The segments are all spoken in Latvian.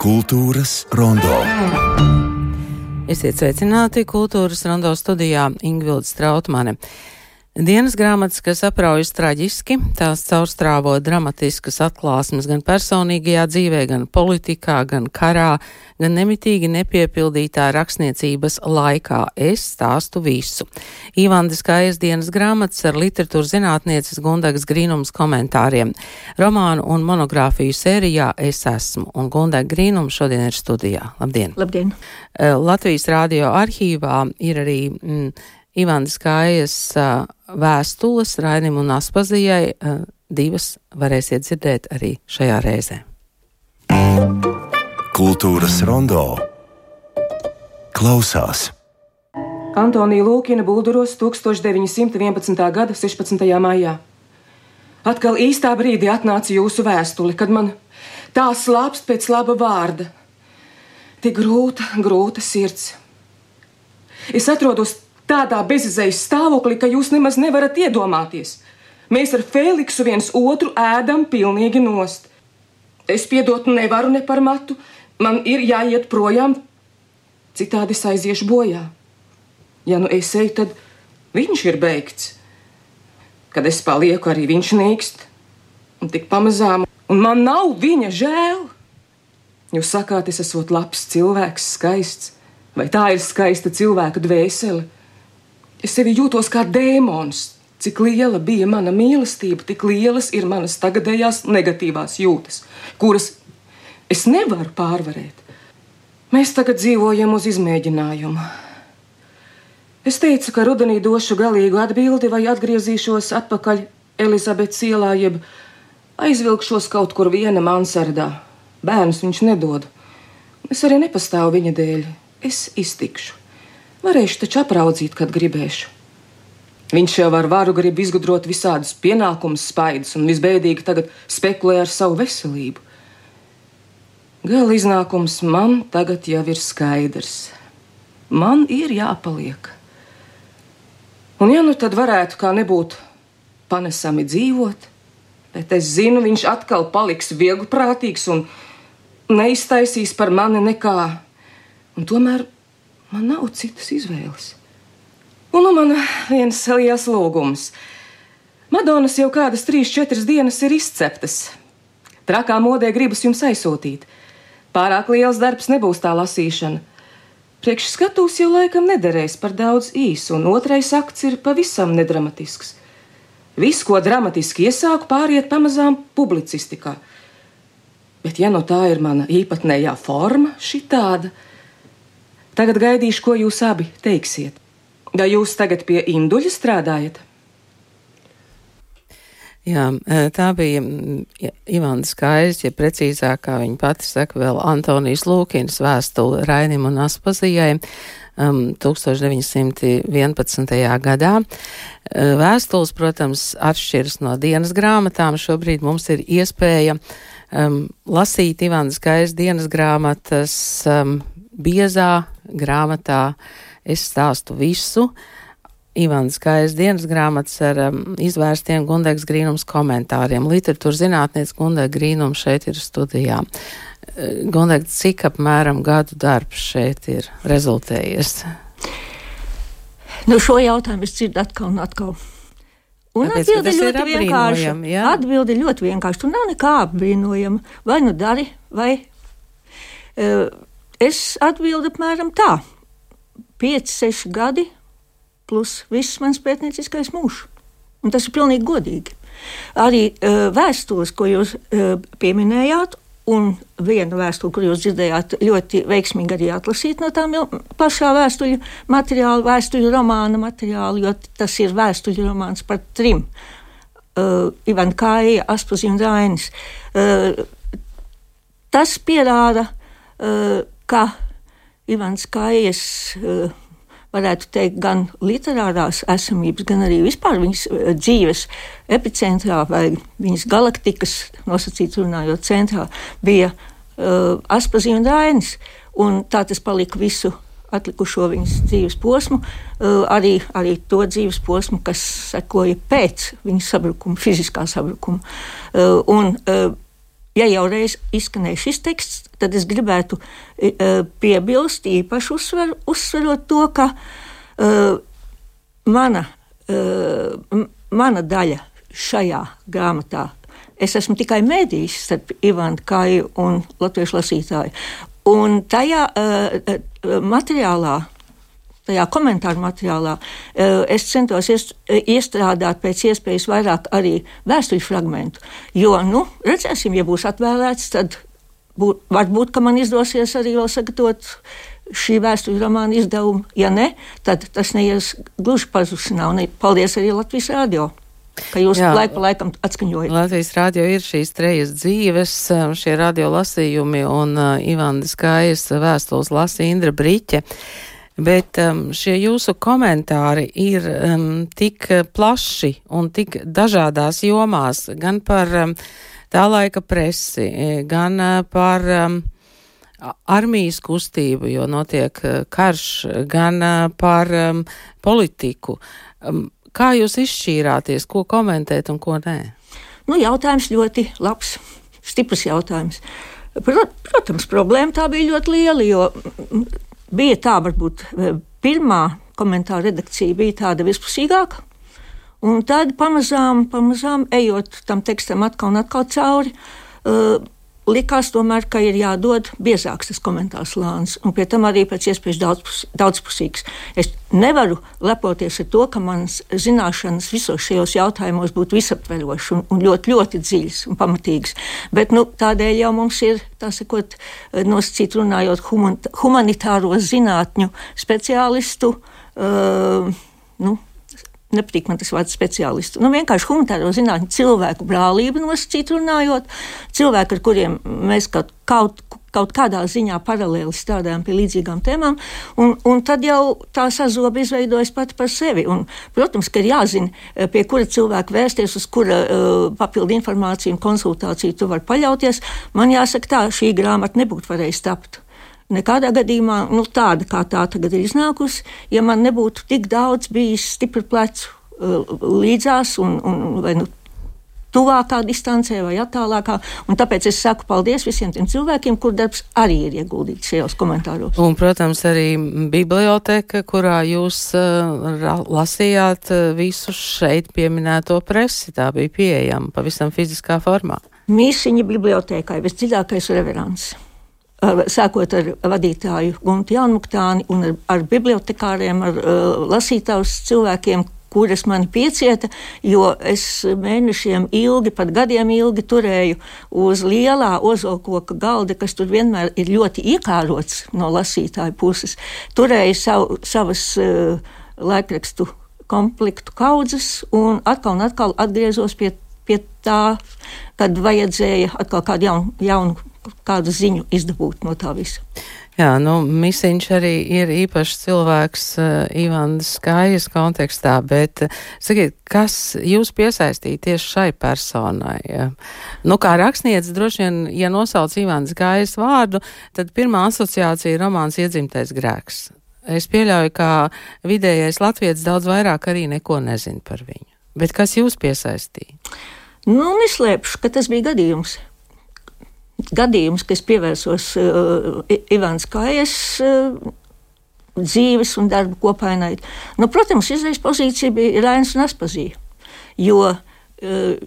Kultūras rondo. Esiet sveicināti Kultūras rondo studijā Ingvilde Strautmane. Dienas grāmatas, kas apraujas traģiski, tās caurstrāvo dramatiskas atklāsmes gan personīgajā dzīvē, gan politikā, gan karā, gan nemitīgi nepiepildītā rakstniecības laikā. Es stāstu visu. Ivandes Kājas dienas grāmatas ar literatūras zinātnieces Gundegas Grīnums komentāriem. Romānu un monogrāfiju sērijā Es esmu, un Gundega Grīnums šodien ir studijā. Labdien! Labdien! Latvijas radio arhīvā ir arī Ivandes Kājas vēstules Rainim un Aspazijai. Divas varēsiet dzirdēt arī šajā reizē. Kultūras rondo klausās. Antonija Lūkina Bulduros 1911. gada 16. maijā. Atkal īstā brīdī atnāca jūsu vēstule, kad man tā slāpst pēc laba vārda. Tik grūta sirds. Es atrodos tādā bezizējas stāvoklī, ka jūs nemaz nevarat iedomāties. Mēs ar Feliksu viens otru ēdam pilnīgi nost. Es piedot nevaru ne par matu, man ir jāiet projām, citādi es aiziešu bojā. Ja nu es eju, tad viņš ir beigts. Kad es palieku, arī viņš nīkst, un tik pamazām, un man nav viņa žēl. Jūs sakāt, es esot labs cilvēks, skaists, vai tā ir skaista cilvēka dvēsele? Es sevi jūtos kā dēmons. Cik liela bija mana mīlestība, tik lielas ir manas tagadējās negatīvās jūtas, kuras es nevaru pārvarēt. Mēs tagad dzīvojam uz izmēģinājumu. Es teicu, ka rudenī došu galīgu atbildi vai atgriezīšos atpakaļ Elizabetes ielā, jeb aizvilkšos kaut kur viena mansardā. Bērnus viņš nedod. Es arī nepastāvu viņa dēļ. Es iztikšu. Varēšu taču apraudzīt, kad gribēšu. Viņš jau ar varu grib izgudrot visādus pienākumus spaidus un visbēdīgi tagad spekulē ar savu veselību. Gala iznākums man tagad jau ir skaidrs. Man ir jāpaliek. Un ja nu tad varētu kā nebūt panesami dzīvot, bet es zinu, viņš atkal paliks vieglprātīgs un neiztaisīs par mani nekā. Un tomēr man nav citas izvēles. Un man viens liels lūgums. Madonas jau kādas 3-4 dienas ir izceptas. Trakā modē gribas jums aizsūtīt. Pārāk liels darbs nebūs tā lasīšana. Priekš skatūs jau laikam nederēs par daudz īsu, un otrais akts ir pavisam nedramatisks. Viss, ko dramatiski iesāku, pāriet pamazām publicistikā. Bet ja nu tā ir mana īpatnējā forma, šitāda, tagad gaidīšu, ko jūs abi teiksiet. Vai jūs tagad pie Induļa strādājat? Jā, tā bija Ivandes Kājas, ja precīzāk, kā viņa pati saka, vēl Antonijas Lūkinas vēstule Rainim un Aspazijai 1911. gadā. Vēstules, protams, atšķiras no dienas grāmatām. Šobrīd mums ir iespēja lasīt Ivandes Kājas dienas grāmatas biezā grāmatā Es stāstu visu. Ivandes Kājas dienas grāmatas ar izvērstiem Gundegas Grīnums komentāriem. Literatūras zinātniece Gundega Grīnums šeit ir studijā. Gundega, cik apmēram gadu darbs šeit ir rezultējies? Nu, šo jautājumu es dzirdu atkal un atkal. Un atbildi ļoti vienkārši. Ja? Atbildi ļoti vienkārši. Tur nav nekā apbrīnojama. Vai nu dari, vai es atbildu apmēram tā. 5-6 gadi plus viss mans pētnieciskais mūžs. Un tas ir pilnīgi godīgi. Arī vēstules, ko jūs pieminējāt, un viena vēstule, kur jūs dzirdējāt, ļoti veiksmīgi arī atlasīt no tām pašā vēstuļu materiāla, vēstuļu romāna materiāla, jo tas ir vēstuļu romāns par 3. Ivanda Kāja, Aspazija un Rainis. Tas pierāda, ka Ivans Kājas, varētu teikt, gan literārās esamības, gan arī vispār viņas dzīves epicentrā vai viņas galaktikas, nosacīts runājot, centrā, bija Aspazija un Rainis. Un tā tas palika visu atlikušo viņas dzīves posmu, arī to dzīves posmu, kas sekoja pēc viņas sabrukuma, fiziskā sabrukuma. Un ja jau reiz izskanēja šis teksts, tad es gribētu piebilst īpaši uzsverot to, ka mana daļa šajā grāmatā, es esmu tikai mēdījis starp Ivantu Kāju un latviešu lasītāju. Un tajā materiālā, tajā komentāru materiālā, es centos iestrādāt pēc iespējas vairāk arī vēstuļu fragmentu. Jo, redzēsim, ja būs atvēlēts, tad varbūt, ka man izdosies arī vēl sagatavot šī vēstuļu romāna izdevumu. Ja ne, tad tas neies gluži pazušanā. Un paldies arī Latvijas radio, ka jūs laiku pa laikam atskaņojat. Latvijas radio ir šīs trejas dzīves, šie radio lasījumi, un Ivantas Kājas vēstules lasa Indra Briķe. Bet šie jūsu komentāri ir tik plaši un tik dažādās jomās, gan par tā laika presi, gan par armijas kustību, jo notiek karš, gan par politiku. Kā jūs izšķīrāties, ko komentēt un ko nē? Jautājums ļoti labs, stiprs jautājums. Protams, problēma tā bija ļoti liela, jo bija tā, varbūt pirmā komentāra redakcija bija tāda vispusīgāka, un tad pamazām ejot tam tekstam atkal un atkal cauri, likās tomēr, ka ir jādod biezāks tas komentārs slānis, un pie tam arī pēc iespējas daudzpusīgs. Es nevaru lepoties ar to, ka manas zināšanas visos šajos jautājumos būtu visaptverošas un ļoti, ļoti dziļas un pamatīgas. Bet tādēļ jau mums ir, tā sakot, nosacīt runājot humanitāro zinātņu speciālistu, nepatīk man tas vārds speciālistu. Vienkārši humanitāro zinātņu cilvēku brālību nosacīt runājot, cilvēku, ar kuriem mēs kaut kādā ziņā paralēli strādājam pie līdzīgām tēmām, un tad jau tā sazoba izveidojas pati par sevi. Un, protams, ka ir jāzina, pie kura cilvēka vērsties, uz kura papildu informāciju un konsultāciju tu vari paļauties. Man jāsaka tā, šī grāmata nebūtu varējusi tapt. Nekādā gadījumā tāda, kā tā tagad ir iznākusi, ja man nebūtu tik daudz bijis stipri plecu līdzās vai tuvākā distancē vai attālākā. Un tāpēc es saku paldies visiem tiem cilvēkiem, kur darbs arī ir ieguldīts šajos komentāros. Un, protams, arī biblioteka, kurā jūs lasījāt visu šeit pieminēto presi, tā bija pieejama pavisam fiziskā formā. Mīsiņa bibliotekai visdziļākais reverants. Sākot ar vadītāju Guntu Jaunmuktāni un ar bibliotekāriem, ar lasītājus cilvēkiem, kuras mani piecieta, jo es mēnešiem ilgi, pat gadiem ilgi turēju uz lielā ozolkoka galda, kas tur vienmēr ir ļoti iekārots no lasītāju puses. Turēju savas laikrakstu komplektu kaudzes un atkal atgriezos pie tā, kad vajadzēja atkal kādu jaunu kādu ziņu izdabūt no tā visa. Jā, Misiņš arī ir īpašs cilvēks Ivantas Kājas kontekstā, bet sakiet, kas jūs piesaistīja tieši šai personai? Kā rakstniece, droši vien, ja nosauc Ivantas Kājas vārdu, tad pirmā asociācija ir romāns Iedzimtais grēks. Es pieļauju, ka vidējais latvietis daudz vairāk arī neko nezin par viņu. Bet kas jūs piesaistīja? Neslēpšu, ka tas bija gadījums, ka es pievērsos Ivantas Kājas dzīves un darba kopainai. Protams, izējas pozīcija bija Rainis un Aspazija, jo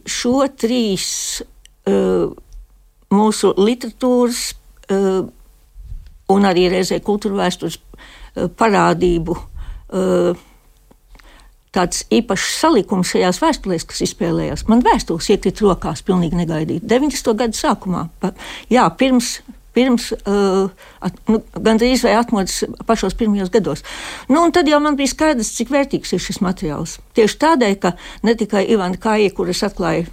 šo trīs mūsu literatūras un arī reizē kultūra vēstures parādību tāds īpašs salikums šajās vēstulēs, kas izspēlējās. Man vēstules iekrita rokās pilnīgi negaidīti. 90. gadu sākumā, pirms gandrīz vai atmodas pašos pirmajos gados. Un tad jau man bija skaidrs, cik vērtīgs ir šis materiāls. Tieši tādēļ, ka ne tikai Ivanta Kāja, kuras atklāja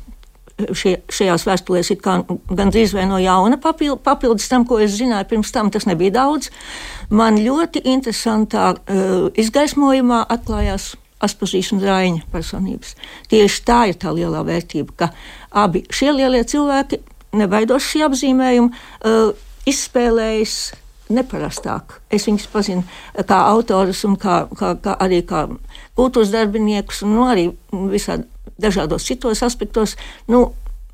šajās vēstulēs ir gandrīz vai no jauna papildus tam, ko es zināju pirms tam, tas nebija daudz. Man ļoti interesantā izgaismojumā atklājās Aspazijas un Raiņa personības. Tieši tā ir tā lielā vērtība, ka abi šie lielie cilvēki, nebaidos šī apzīmējuma, izspēlējas neparastāk. Es viņus pazinu kā autorus un arī kā kultūras darbiniekus un arī visādi dažādos citos aspektos.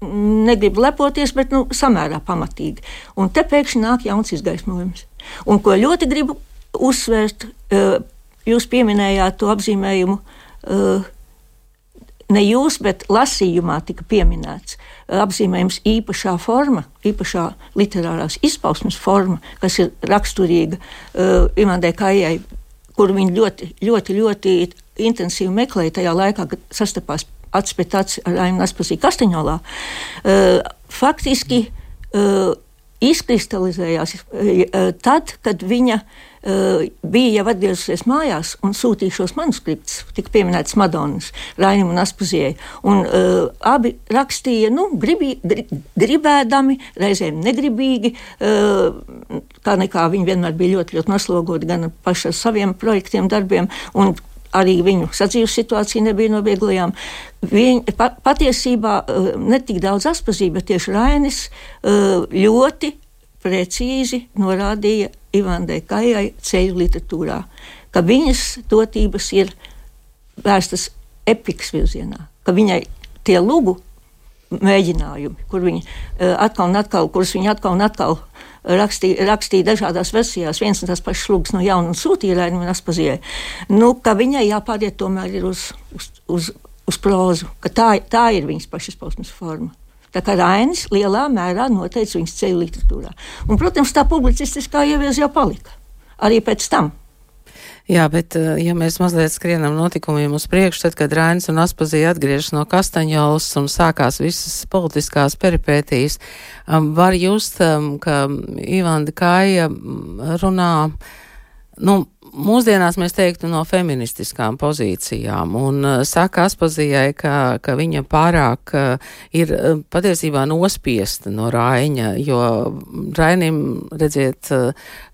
negribu lepoties, bet samērā pamatīgi. Un te pēkšņi nāk jauns izgaismojums. Un ko ļoti gribu uzsvērt, jūs pieminējāt to apzīmējumu, ne jūs, bet lasījumā tika pieminēts apzīmējums īpašā forma, īpašā literārās izpausmes forma, kas ir raksturīga Ivandai Kājai, kuru viņi ļoti, ļoti, ļoti intensīvi meklēja tajā laikā, kad sastapās acis pēc acis ar Ainu Aspazīju Kastaņolā. Faktiski izkristalizējās tad, kad viņa bija jau atgriezusies mājās un sūtīja šos manuskriptus, tika pieminētas Madonas, Rainim un Aspazijai. Un abi rakstīja, gribēdami, reizēm negribīgi, kā nekā viņi vienmēr bija ļoti, ļoti noslogoti gan paši ar saviem projektiem, darbiem, un arī viņu sadzīves situācija nebija no vieglajām. Patiesībā ne tik daudz Aspazīja, bet tieši Rainis ļoti precīzi norādīja Ivandai Kājai ceļu literatūrā, ka viņas dotības ir vērstas epikas virzienā, ka viņai tie lugu mēģinājumi, kur viņi kurus viņi atkal un atkal rakstīja dažādās versijās, viens un tās pašas lugas no jauna un sūtīja Rainim un Aspazijai, ka viņai jāpāriet tomēr ir uz prózu, ka tā ir viņas pašizpausmes forma. Tā kā Rainis lielā mērā noteica viņas ceļu literatūrā. Un, protams, tā publicistiskā ievies jau palika. Arī pēc tam. Jā, bet ja mēs mazliet skrienam notikumiem uz priekšu, tad, kad Rainis un Aspazija atgriežas no Kastaņolas un sākās visas politiskās peripētīs, var just, ka Ivanda Kāja runā, mūsdienās mēs teiktu no feministiskām pozīcijām, un saka Aspazijai, ka viņa pārāk ir patiesībā nospiesta no Raiņa, jo Rainim, redziet,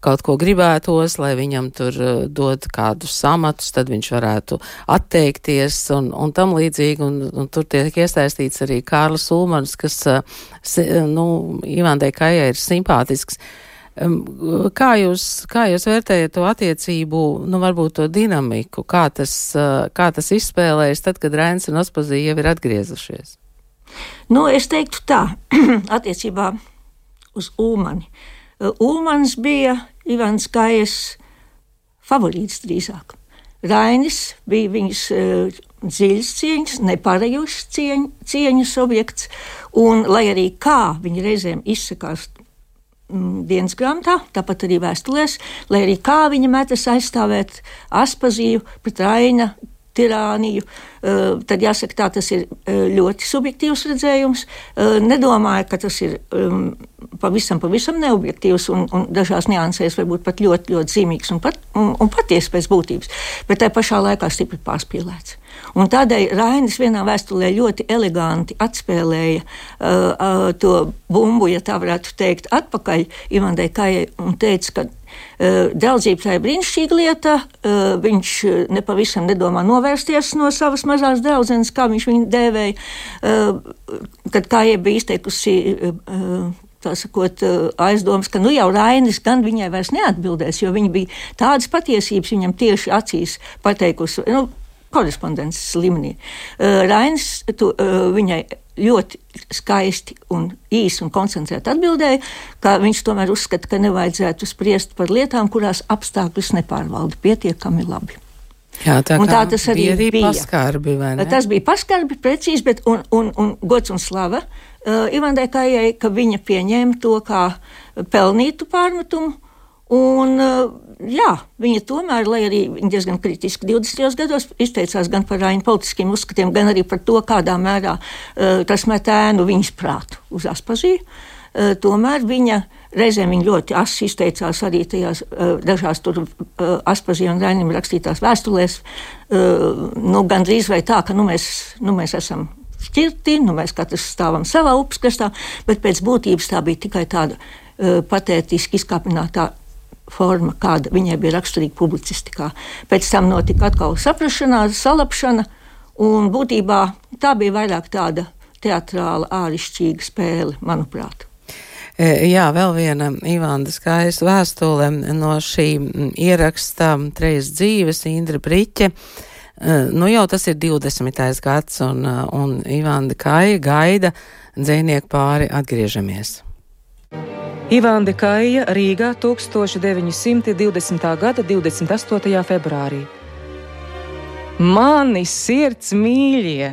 kaut ko gribētos, lai viņam tur dod kādus amatus, tad viņš varētu atteikties un tam līdzīgi, un tur tiek iesaistīts arī Kārlis Ulmans, kas, Ivandai Kājai ir simpātisks. Kā jūs vērtējat to attiecību, varbūt to dinamiku, kā tas izspēlējas tad, kad Rainis un Aspazija jau ir atgriezušies? Es teiktu tā, attiecībā uz Ulmani. Ulmans bija Ivandas Kājas favorīts drīzāk. Rainis bija viņas dziļas cieņas, nepārējošas cieņas objekts, un lai arī kā viņi reizēm izsakās dienas grāmatā, tāpat arī vēstulēs, lai arī kā viņa metas aizstāvēt Aspaziju pret Raina tirāniju, tad jāsaka tā, tas ir ļoti subjektīvs redzējums. Nedomāju, ka tas ir pavisam neobjektīvs un dažās niansēs varbūt pat ļoti, ļoti zīmīgs un patiesi pēc būtības, bet tai pašā laikā stipri pārspīlēts. Un tādēļ Rainis vienā vēstulē ļoti eleganti atspēlēja to bumbu, ja tā varētu teikt, atpakaļ Ivandai Kājai un teica, ka draudzība tā ir brīnišķīga lieta, viņš nepavisam nedomā novērsties no savas mazās draudzenes, kā viņš viņu dēvēja, kad Kājai bija izteikusi tā sakot, aizdomas, ka jau Rainis gan viņai vairs neatbildēs, jo viņa bija tādas patiesības viņam tieši acīs pateikusi, korespondences līmenī. Rainis viņai ļoti skaisti un īsi un koncentrēti atbildēja, ka viņš tomēr uzskata, ka nevajadzētu spriest par lietām, kurās apstākļus nepārvalda pietiekami labi. Jā, tā tas arī bija paskarbi, vai ne? Tas bija paskarbi, precīzi, bet un gods un slava Ivandai Kājai, ka viņa pieņēma to kā pelnītu pārmetumu. Un, viņa tomēr, lai arī viņa diezgan kritiski 20. gados izteicās gan par Raina politiskiem uzskatiem, gan arī par to, kādā mērā tas met ēnu viņas prātu uz Aspaziju, tomēr viņa reizēm ļoti asi izteicās arī tajās dažās tur Aspazija un Rainim rakstītās vēstulēs, gandrīz vai tā, ka mēs esam šķirti, mēs katrs stāvam savā upskastā, bet pēc būtības tā bija tikai tāda patētiski izkāpinātā forma, kāda viņai bija raksturīga publicistikā. Pēc tam notika atkal saprašanās, salapšana, un būtībā tā bija vairāk tāda teatrāla, ārišķīga spēle, manuprāt. Jā, vēl viena Ivandas Kājas vēstule no šī ieraksta Trejas dzīves, Indra Briķe. Jau tas ir 20. gads, un Ivanda Kāja gaida dzejnieku pāri atgriežamies. Ivande Kaija, Rīgā, 1920. gada 28. februārī. Mani sirds mīļie,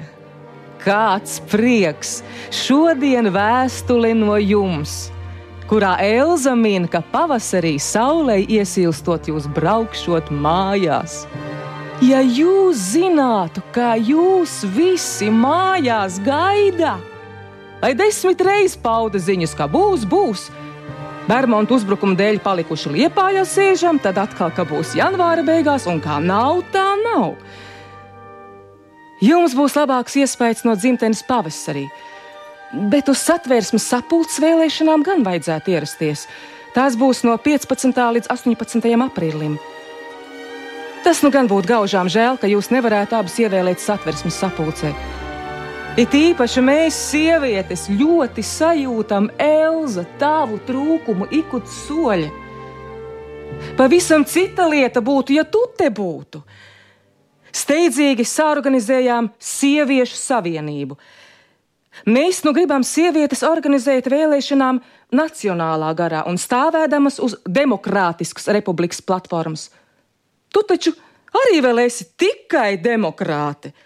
kāds prieks! Šodien vēstule no jums, kurā Elza min, ka pavasarī saulei iesilstot jūs braukšot mājās. Ja jūs zinātu, kā jūs visi mājās gaida, lai 10 reizes pauda ziņas, ka būs, Bermontu uzbrukuma dēļ palikuši Liepājā sēžam, tad atkal, ka būs janvāra beigās, un kā nav, tā nav. Jums būs labāks iespējas no dzimtenes pavasarī, bet uz Satversmes sapulces vēlēšanām gan vajadzētu ierasties. Tās būs no 15. līdz 18. aprīlim. Tas nu gan būtu gaužām žēl, ka jūs nevarētu abas ievēlēt Satversmes sapulcē. It īpaši mēs, sievietes, ļoti sajūtam, Elza, tavu trūkumu ikut soļa. Pavisam cita lieta būtu, ja tu te būtu. Steidzīgi saorganizējām sieviešu savienību. Mēs nu gribam sievietes organizēt vēlēšanām nacionālā garā un stāvēdamas uz demokrātiskas republikas platformas. Tu taču arī vēl esi tikai demokrāte.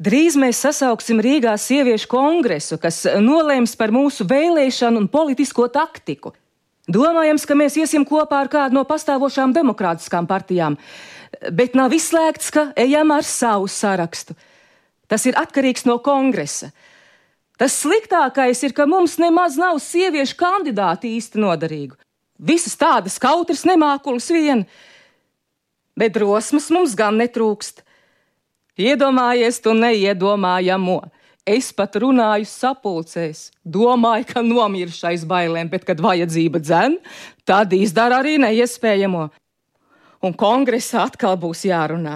Drīz mēs sasauksim Rīgā sieviešu kongresu, kas nolēms par mūsu vēlēšanu un politisko taktiku. Domājams, ka mēs iesim kopā ar kādu no pastāvošām demokrātiskām partijām, bet nav izslēgts, ka ejam ar savu sarakstu. Tas ir atkarīgs no kongresa. Tas sliktākais ir, ka mums nemaz nav sieviešu kandidāti īsti noderīgu. Visas tādas kautras nemākulas vien, bet drosmas mums gan netrūkst. Iedomājies tu neiedomājamo. Es pat runāju sapulcēs, domāju, ka nomiršu aiz bailēm, bet, kad vajadzība dzen, tad izdara arī neiespējamo. Un kongresā atkal būs jārunā.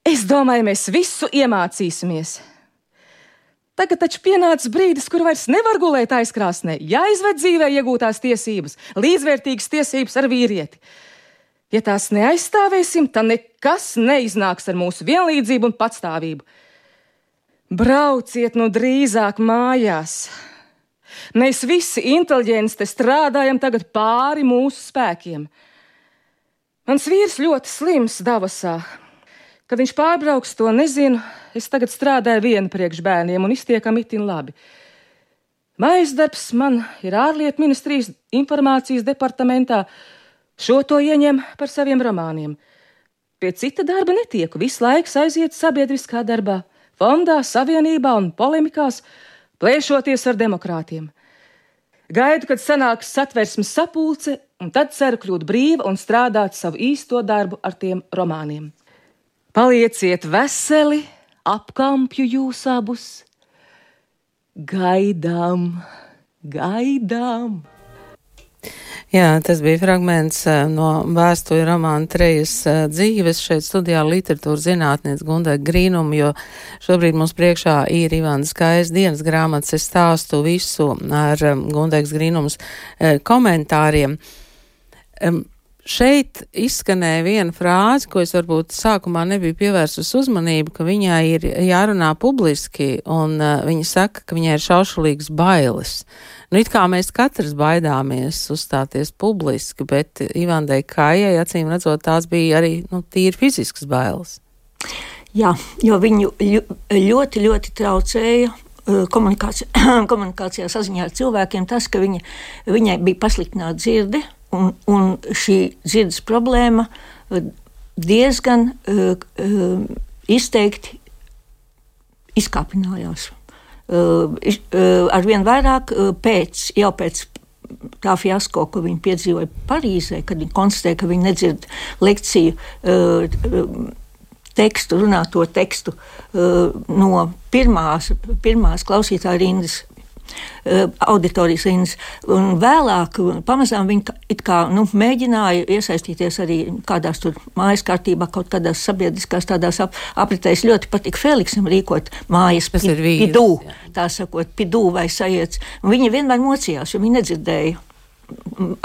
Es domāju, mēs visu iemācīsimies. Tagad taču pienācis brīdis, kur vairs nevar gulēt aizkrāsnē, jāizved dzīvē iegūtās tiesības, līdzvērtīgas tiesības ar vīrieti. Ja tās neaizstāvēsim, tad nekas neiznāks ar mūsu vienlīdzību un patstāvību. Brauciet nu drīzāk mājās. Mēs visi inteliģenti strādājam tagad pāri mūsu spēkiem. Mans vīrs ļoti slims Davosā. Kad viņš pārbrauks, to nezinu. Es tagad strādāju viena priekš bērniem un iztiekam itin labi. Mājas darbs man ir ārlietu ministrijas informācijas departamentā. Šo to ieņem par saviem romāniem. Pie cita darba netieku, visu laiku aiziet sabiedriskā darbā, fondā, savienībā un polemikās, plēšoties ar demokrātiem. Gaidu, kad sanāks Satversmes sapulce, un tad ceru kļūt brīva un strādāt savu īsto darbu ar tiem romāniem. Palieciet veseli, apkampju jūs abus. Gaidām. Jā, tas bija fragments no vēstuļu romāna Trejas dzīves. Šeit studijā literatūras zinātniece Gundaga Grīnuma, jo šobrīd mums priekšā ir Ivandas Kaijas dienas grāmatas. Es stāstu visu ar Gundagas Grīnumas komentāriem. Šeit izskanēja viena frāze, ko es varbūt sākumā nebiju pievērsus uzmanību, ka viņai ir jārunā publiski, un viņa saka, ka viņai ir šaušalīgas bailes. Nu, it kā mēs katrs baidāmies uzstāties publiski, bet Ivandai Kaijai, acīm redzot, tās bija arī tīri fiziskas bailes. Jā, jo viņu ļoti traucēja komunikācijā saziņā ar cilvēkiem tas, ka viņai bija pasliktināta dzirde, un šī dzirdes problēma diezgan izteikti izkāpinājās. Arvien vairāk pēc tā fiasko, ko viņi piedzīvoja Parīzē, kad viņi konstatēja, ka viņi nedzird lekciju tekstu, runāto tekstu no pirmās klausītāja rindas, auditorijas rindas, un vēlāk pamazām viņi it kā mēģināja iesaistīties arī kādās tur mājas kārtībā, kaut kādās sabiedriskās tādās apritēs. Ļoti patika Feliksam rīkot mājas pidū, tā sakot, pidū vai sajiets. Un viņi vienmēr mocījās, jo viņi nedzirdēja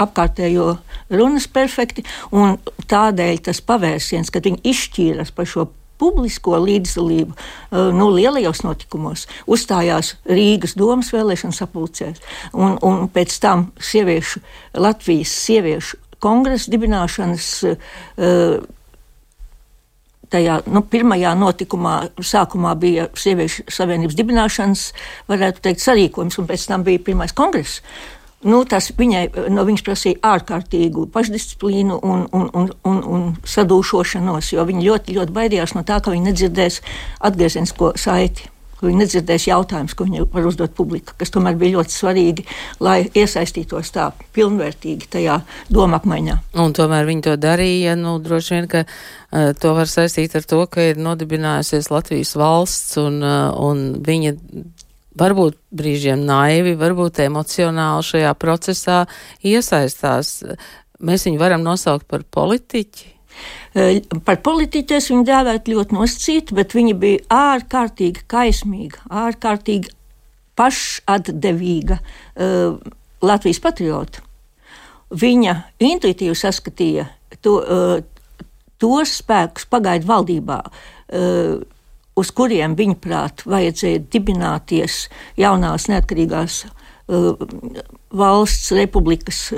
apkārtējo runas perfekti, un tādēļ tas pavērsiens, kad viņi izšķīras par šo publisko līdzdalību lielajos notikumos, uzstājās Rīgas domas vēlēšanu sapulcēs, un pēc tam Latvijas sieviešu kongresa dibināšanas tajā pirmajā notikumā sākumā bija Sieviešu savienības dibināšanas, varētu teikt, sarīkojums, un pēc tam bija pirmais kongress. Tas viņas prasīja ārkārtīgu pašdisciplīnu un sadūšošanos, jo viņa ļoti, ļoti baidījās no tā, ka viņa nedzirdēs atgriezienisko saiti, ka viņa nedzirdēs jautājumus, ko viņa var uzdot publika, kas tomēr bija ļoti svarīgi, lai iesaistītos tā pilnvērtīgi tajā doma apmaiņā. Un tomēr viņi to darīja, droši vien, ka to var saistīt ar to, ka ir nodibinājusies Latvijas valsts un viņa varbūt brīžiem naivi, varbūt emocionāli šajā procesā iesaistās. Mēs viņu varam nosaukt par politiķi? Par politiķi es viņu dēvētu ļoti nosacīti, bet viņa bija ārkārtīgi kaismīga, ārkārtīgi pašatdevīga Latvijas patriota. Viņa intuitīvi saskatīja tos spēkus pagaidu valdībā, uz kuriem viņa prāt vajadzēja dibināties jaunās neatkarīgās valsts republikas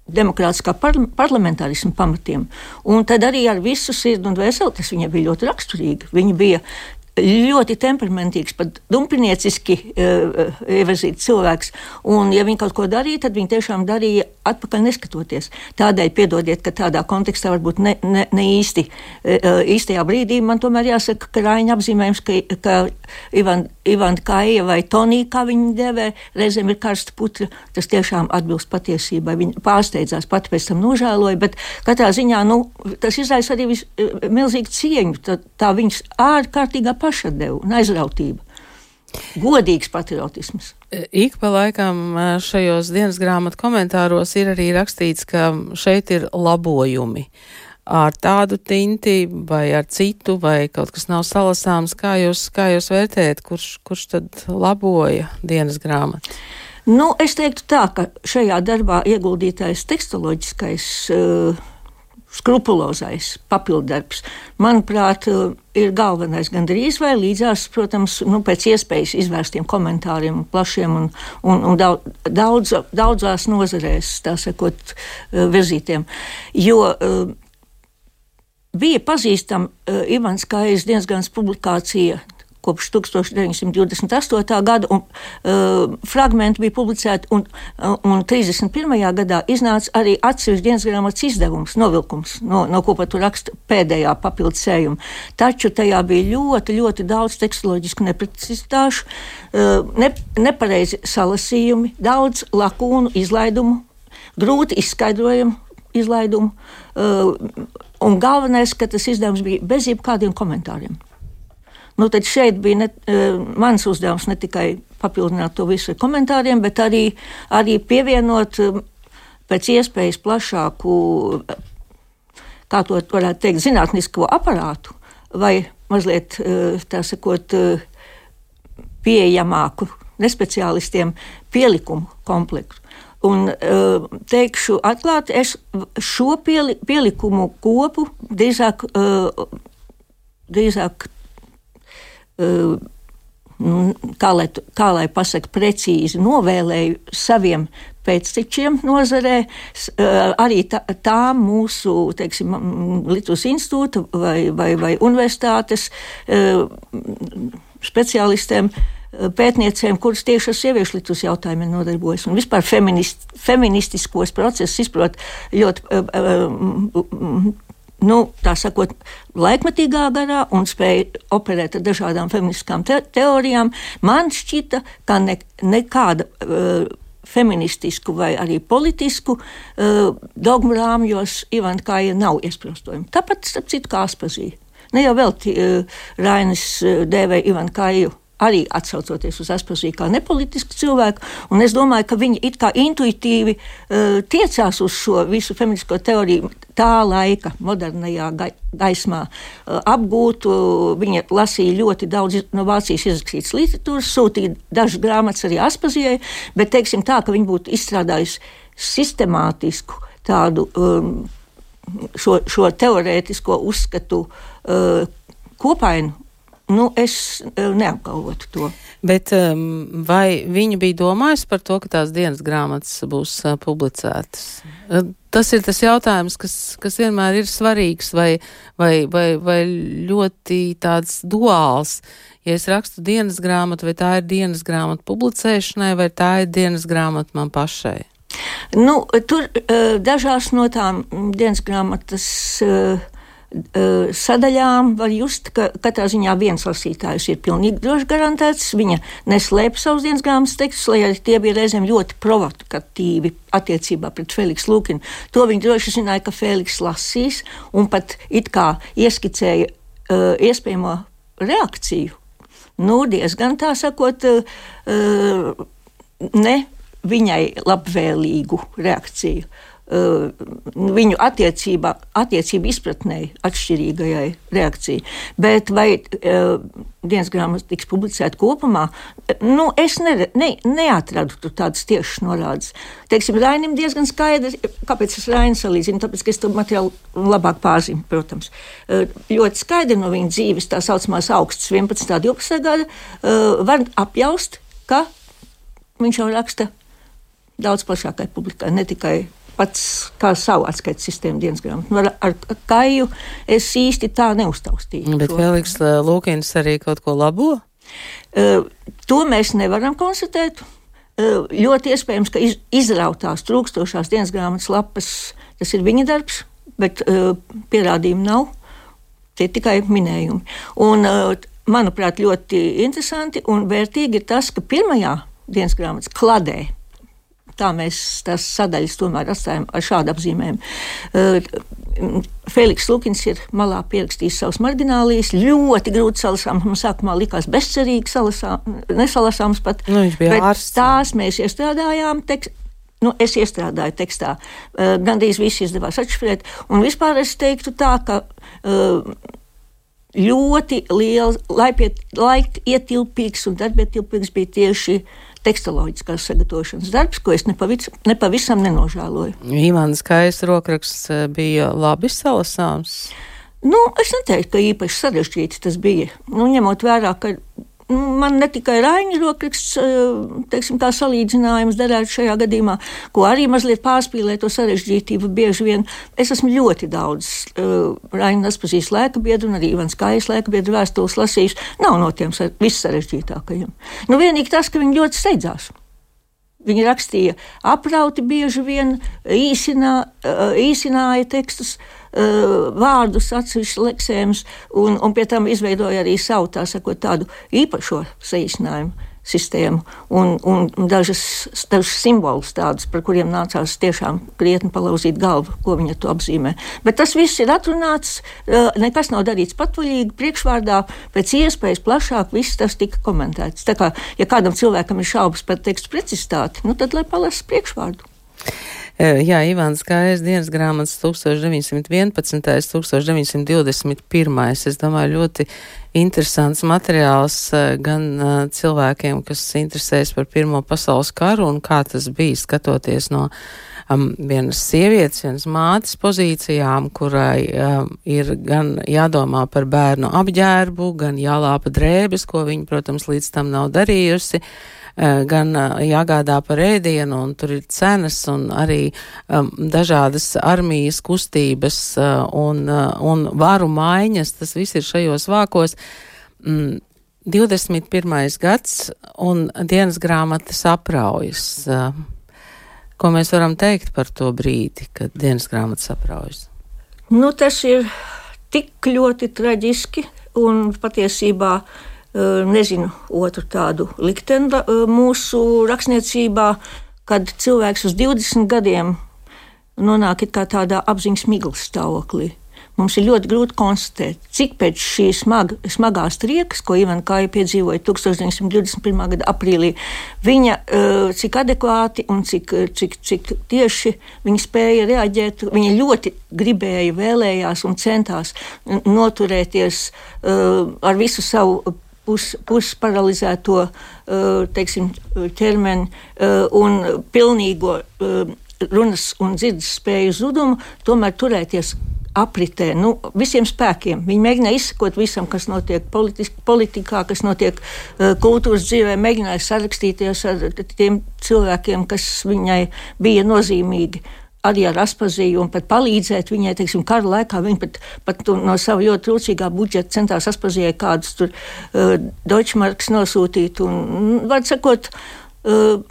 demokrātiskā parlamentārisma pamatiem. Un tad arī ar visu sirdi un dvēseli tas viņai bija ļoti raksturīgi. Viņa bija ļoti temperamentīgs, pat dumpinieciski ievirzīts cilvēks, un ja viņi kaut ko darīja, tad viņi tiešām darīja atpakaļ neskatoties. Tādēļ piedodiet, ka tādā kontekstā varbūt ne īstajā brīdī man tomēr jāsaka, ka Raiņa apzīmējums, ka Ivanda Kaija vai Tonija, kā viņi dēvē, reizēm ir karsta putra, tas tiešām atbilst patiesībai. Viņa pārsteidzās, pati pēc tam nožēloja, bet katrā ziņā, tas izraisa arī milzīgu cieņu, tā viņas ārkārtīgā pašatdeva un aizrautība. Godīgs patriotisms. Ik pa laikam šajos dienas grāmatu komentāros ir arī rakstīts, ka šeit ir labojumi. Ar tādu tinti vai ar citu, vai kaut kas nav salasāms, kā jūs vērtējat, kurš tad laboja dienas grāmatu? Es teiktu tā, ka šajā darbā ieguldītais tekstoloģiskais skrupulozais papildarbs, manuprāt, ir galvenais gandrīz vai līdzās, protams, pēc iespējas izvērstiem komentāriem, plašiem un daudzās nozarēs, tā sakot, virzītiem. Jo bija pazīstama Ivans Kaijas dienasgrāmatas publikācija kopš 1928. gada, un fragmenti bija publicēti, un 31. gadā iznāca arī atsevišķi dienasgrāmatas izdevums, novilkums, no ko pat raksta pēdējā papildusējuma. Taču tajā bija ļoti, ļoti daudz tekstoloģisku neprecizitāšu, nepareizi salasījumi, daudz lakūnu izlaidumu, grūti izskaidrojumu izlaidumu, un galvenais, ka tas izdevums bija bez jebkādiem komentāriem. Tad šeit bija mans uzdevums ne tikai papildināt to visu ar komentāriem, bet arī pievienot pēc iespējas plašāku, kā to varētu teikt, zinātnisko aparātu vai mazliet, tā sakot, pieejamāku nespeciālistiem pielikumu komplektu. Un teikšu atklāti, es šo pielikumu kopu drīzāk kā lai pasaka precīzi, novēlēju saviem pēctečiem nozarē, arī tām mūsu, teiksim, Lietuvas institūta vai universitātes speciālistiem, pētniecēm, kuras tieši ar sieviešu Lietuvas jautājumiem nodarbojas un vispār feministiskos procesus izprot ļoti tā sakot, laikmetīgā garā un spēja operēt ar dažādām feministiskām teorijām. Man šķita, ka nekāda feministisku vai arī politisku dogmu rāmjos Ivanda Kaija nav iesprostojuma. Tāpat, starp citu, kā Aspazija. Ne jau vēl Rainis dēvēja Ivanda Kaiju arī atsaucoties uz Aspaziju kā nepolitisku cilvēku, un es domāju, ka viņi it kā intuitīvi tiecās uz šo visu feministisko teoriju tā laika modernajā gaismā apgūtu. Viņa lasīja ļoti daudz no Vācijas izrakstītas literatūras, sūtīja dažas grāmatas arī Aspazijai, bet teiksim tā, ka viņa būtu izstrādājusi sistemātisku tādu šo teorētisko uzskatu kopainu, es neapgalvotu to. Bet vai viņa bija domājusi par to, ka tās dienas grāmatas būs publicētas? Tas ir tas jautājums, kas vienmēr ir svarīgs vai ļoti tāds duāls. Ja es rakstu dienas grāmatu, vai tā ir dienas grāmata publicēšanai, vai tā ir dienas grāmata man pašai? Tur dažās no tām dienas grāmatas sadaļām var just, ka katrā ziņā viens lasītājs ir pilnīgi droši garantēts. Viņa neslēp savus dienas grāmatas tekstus, lai arī tie bija reizēm ļoti provokatīvi attiecībā pret Feliksu Lukinu. To viņa droši zināja, ka Feliks lasīs un pat it kā ieskicēja iespējamo reakciju. Diezgan tā sakot, ne viņai labvēlīgu reakciju. Viņu attiecību izpratnei atšķirīgajai reakcijai. Bet vai dienas grāmata tiks publicēta kopumā? Es neatradu tur tādas tiešas norādes. Teiksim, Rainim diezgan skaidri, kāpēc es Rainu salīdzinu, tāpēc, ka es to materiālu labāk pārzinu, protams. Ļoti skaidri no viņa dzīves, tā saucamās augstas 11. 12. gada, var apjaust, ka viņš jau raksta daudz plašākai publikai, ne tikai pats kā savu atskaites sistēmu dienas grāmatu. Ar Kaju es īsti tā neuztaustīju. Bet Feliks Lukins arī kaut ko labo? To mēs nevaram konstatēt. Ļoti iespējams, ka izrautās trūkstošās dienas grāmatas lapas, tas ir viņa darbs, bet pierādījumu nav. Tie ir tikai minējumi. Un, manuprāt, ļoti interesanti un vērtīgi ir tas, ka pirmajā dienas grāmatas kladē, tā mēs tās sadaļas tomēr atstājam ar šādu apzīmējumu. Feliks Lukins ir malā pierakstījis savus marginālijas, ļoti grūti salasāms, man sākumā likās bezcerīgi nesalasāms pat, bet tās mēs iestrādājām es iestrādāju tekstā. Gandrīz visi izdevās atšifrēt, un vispār es teiktu tā, ka ļoti liels, laikietilpīgs un darbietilpīgs bija tieši tekstoloģiskās sagatavošanas darbs, ko es nepavisam nenožēloju. Ivānas Kājas rokraksts bija labi salasāms? Es neteiktu, ka īpaši sarežģīti tas bija. Ņemot vērā, ka man ne tikai Raņa rokraksts, teiksim, kā salīdzinājums derētu šajā gadījumā, ko arī mazliet pārspīlē to sarežģītību bieži vien. Es esmu ļoti daudz Raņa Naspazījas laikabiedru un arī Ivānas Kājas laikabiedru vēstules lasījis. Nav no tiem vissarežģītākajiem. Vienīgi tas, ka viņi ļoti steidzās. Viņi rakstīja aprauti bieži vien, īsināja tekstus, vārdus, atsevišķus leksējumus, un pie tam izveidoja arī savu, tā sakot, tādu īpašo saīsinājumu sistēmu un dažus simbolus tādus, par kuriem nācās tiešām krietni palauzīt galvu, ko viņa to apzīmē. Bet tas viss ir atrunāts, nekas nav darīts patvaļīgi, priekšvārdā, pēc iespējas plašāk viss tas tika komentēts. Tā kā, ja kādam cilvēkam ir šaubas par tekstu precizitāti, tad lai palasa priekšvārdu. Jā, Ivānas Kājas dienas grāmatas 1911. 1921. Es domāju, ļoti interesants materiāls gan cilvēkiem, kas interesēs par Pirmo pasaules karu un kā tas bija skatoties no vienas sievietes, vienas mātes pozīcijām, kurai ir gan jādomā par bērnu apģērbu, gan jālāpa drēbes, ko viņa, protams, līdz tam nav darījusi, gan jāgādā par ēdienu, un tur ir cenas, un arī dažādas armijas kustības un varu maiņas, tas viss ir šajos vākos. 21. gads un dienas grāmatas apraujas. Ko mēs varam teikt par to brīdi, kad dienas grāmatas apraujas? Tas ir tik ļoti traģiski, un patiesībā nezinu otru tādu likteni mūsu rakstniecībā, kad cilvēks uz 20 gadiem nonāk it kā tādā apziņas miglas stāvoklī. Mums ir ļoti grūti konstatēt, cik pēc šīs smagās triekas, ko Ivāna Kāja piedzīvoja 1921. gada aprīlī, viņa cik adekvāti un cik tieši viņa spēja reaģēt. Viņa ļoti gribēja, vēlējās un centās noturēties ar visu savu pusparalizēto, teiksim, ķermeni un pilnīgo runas un dzirdes spēju zudumu, tomēr turēties apritē, visiem spēkiem. Viņi mēģināja izsekot visam, kas notiek politikā, kas notiek kultūras dzīvē, mēģināja sarakstīties ar tiem cilvēkiem, kas viņai bija nozīmīgi. Arī ar Aspaziju un pat palīdzēt viņai, teiksim, kara laikā. Viņa pat no sava ļoti trūcīgā budžeta centās Aspazijai kādus tur Deutschmarks nosūtīt. Un, var sakot,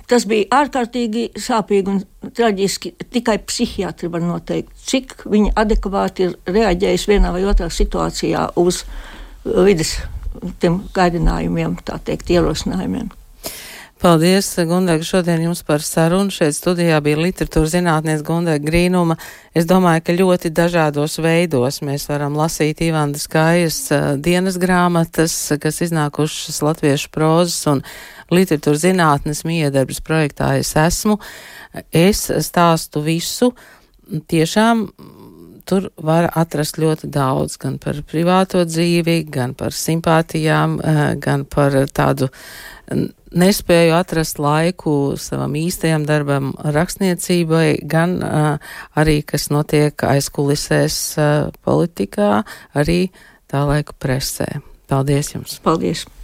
tas bija ārkārtīgi sāpīgi un traģiski. Tikai psihiatri var noteikt, cik viņa adekvāti ir reaģējusi vienā vai otrā situācijā uz vides tiem gaidinājumiem, tā teikt, ierosinājumiem. Paldies, Gundega, šodien jums par sarunu. Šeit studijā bija literatūra zinātniece Gundega Grīnuma. Es domāju, ka ļoti dažādos veidos mēs varam lasīt Ivandas Kājas dienas grāmatas, kas iznākušas latviešu prozas un literatūra zinātnes miedarbas projektā Es esmu. Es stāstu visu. Tiešām tur var atrast ļoti daudz, gan par privāto dzīvi, gan par simpātijām, gan par tādu nespēju atrast laiku savam īstajam darbam rakstniecībai, gan arī, kas notiek aizkulisēs politikā, arī tā laika presē. Paldies jums! Paldies!